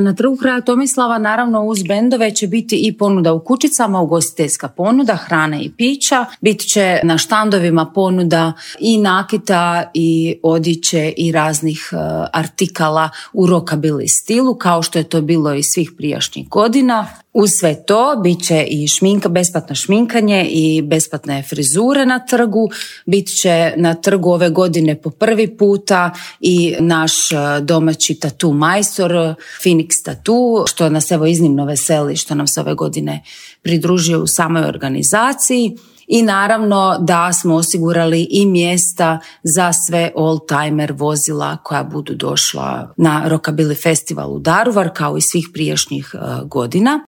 Na Trgu kralja Tomislava naravno uz bendove će biti i ponuda u kućicama, ugostiteljska ponuda, hrane i pića. Bit će na štandovima ponuda i nakita i odjeće i raznih artikala u rockabilly stilu, kao što je to bilo i svih prijašnjih godina. Uz sve to bit će i besplatno šminkanje i besplatne frizure na trgu. Bit će na trgu ove godine po prvi puta i naš domaći tatu majstor Phoenix Tattoo, što nas evo iznimno veseli što nam se ove godine pridružio u samoj organizaciji. I naravno da smo osigurali i mjesta za sve oldtimer vozila koja budu došla na Rockabilly festival u Daruvar kao i svih prijašnjih godina.